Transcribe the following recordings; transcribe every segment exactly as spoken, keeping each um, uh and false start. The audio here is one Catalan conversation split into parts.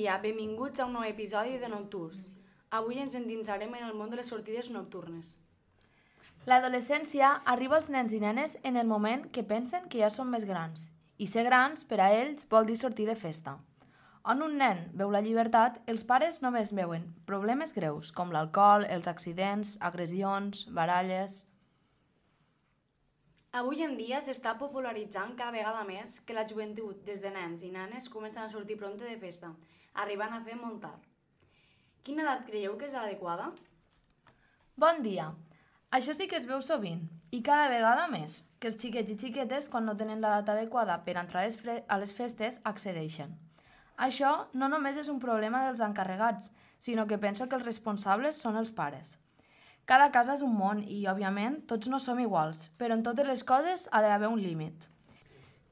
dia, benvinguts a un nou episodi de Nocturns. Avui ens endinsarem en el món de les sortides nocturnes. L'adolescència arriba als nens i nenes en el moment que pensen que ja són més grans. I ser grans, per a ells, vol dir sortir de festa. On un nen veu la llibertat, els pares només veuen problemes greus, com l'alcohol, els accidents, agressions, baralles... Avui en dia s'està popularitzant cada vegada més que la joventut, des de nens i nenes, comencen a sortir prompte de festa, arribant a fer molt tard. Quina edat creieu que és l'adequada? Bon dia! Això sí que es veu sovint, i cada vegada més, que els xiquets i xiquetes, quan no tenen l'edat adequada per entrar a les festes, accedeixen. Això no només és un problema dels encarregats, sinó que penso que els responsables són els pares. Cada casa és un món i, òbviament, tots no som iguals, però en totes les coses ha d'haver un límit.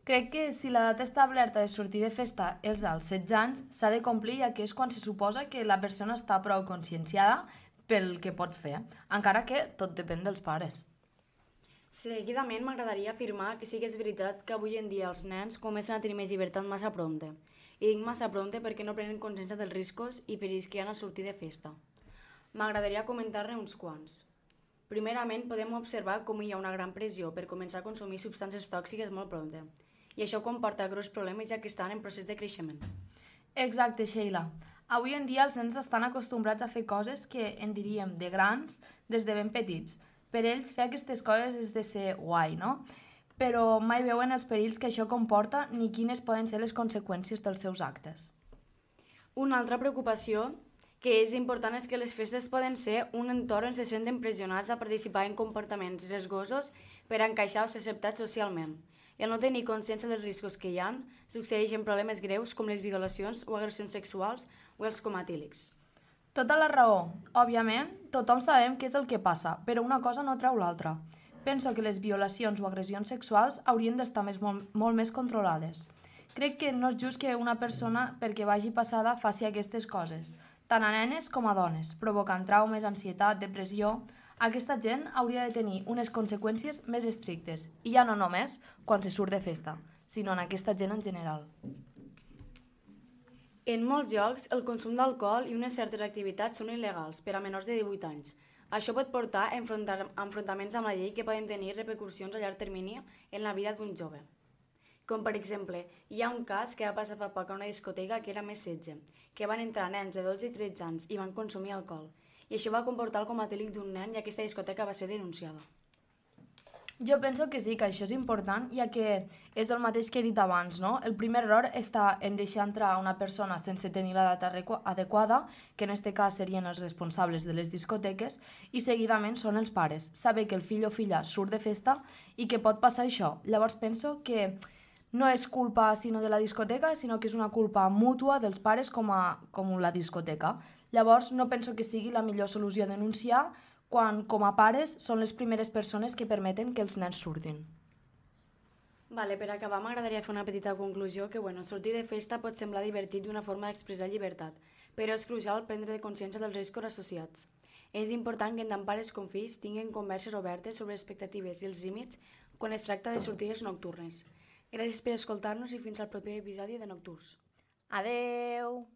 Crec que si l'edat establerta de sortir de festa és als setze anys, s'ha de complir, ja que és quan se suposa que la persona està prou conscienciada pel que pot fer, encara que tot depèn dels pares. Seguidament m'agradaria afirmar que sí que és veritat que avui en dia els nens comencen a tenir més llibertat massa prompte. I dic massa prompte perquè no prenen consciència dels riscos i perills que hi ha a sortir de festa. M'agradaria comentar-ne uns quants. Primerament, podem observar com hi ha una gran pressió per començar a consumir substàncies tòxiques molt prompte. I això comporta greus problemes ja que estan en procés de creixement. Exacte, Sheila. Avui en dia els nens estan acostumbrats a fer coses que en diríem de grans des de ben petits. Per ells fer aquestes coses és de ser guai, no? Però mai veuen els perills que això comporta ni quines poden ser les conseqüències dels seus actes. Una altra preocupació que és important és que les festes poden ser un entorn on se senten pressionats a participar en comportaments riesgosos per a encaixar o ser acceptats socialment. I al no tenir consciència dels riscos que hi ha, succeeixen problemes greus com les violacions o agressions sexuals o els comatílics. Tota la raó. Òbviament, tothom sabem què és el que passa, però una cosa no treu l'altra. Penso que les violacions o agressions sexuals haurien d'estar més, molt, molt més controlades. Crec que no és just que una persona, perquè vagi passada, faci aquestes coses, tant a nenes com a dones, provocant traumes, ansietat, depressió. Aquesta gent hauria de tenir unes conseqüències més estrictes, i ja no només quan se surt de festa, sinó en aquesta gent en general. En molts llocs, el consum d'alcohol i unes certes activitats són il·legals per a menors de divuit anys. Això pot portar a enfrontaments amb la llei que poden tenir repercussions a llarg termini en la vida d'un jove. Com per exemple, hi ha un cas que va passar fa poc a una discoteca que era més setze, que van entrar nens de dotze i tretze anys i van consumir alcohol, i això va comportar el comatílic d'un nen i aquesta discoteca va ser denunciada. Jo penso que sí, que això és important, ja que és el mateix que he dit abans, no? El primer error està en deixar entrar una persona sense tenir l'edat adequada, que en aquest cas serien els responsables de les discoteques, i seguidament són els pares. Saber que el fill o filla surt de festa i que pot passar això. Llavors penso que no és culpa sinó de la discoteca, sinó que és una culpa mútua dels pares com a com la discoteca. Llavors no penso que sigui la millor solució denunciar quan, com a pares, són les primeres persones que permeten que els nens surtin. Vale, per acabar m'agradaria fer una petita conclusió que bueno, sortir de festa pot semblar divertit i una forma d'expressar llibertat, però és crucial prendre consciència dels riscos associats. És important que tant pares com fills tinguin converses obertes sobre expectatives i els límits quan es tracta de sortides nocturnes. Gràcies per escoltar-nos i fins al proper episodi de Nocturns. Adeu!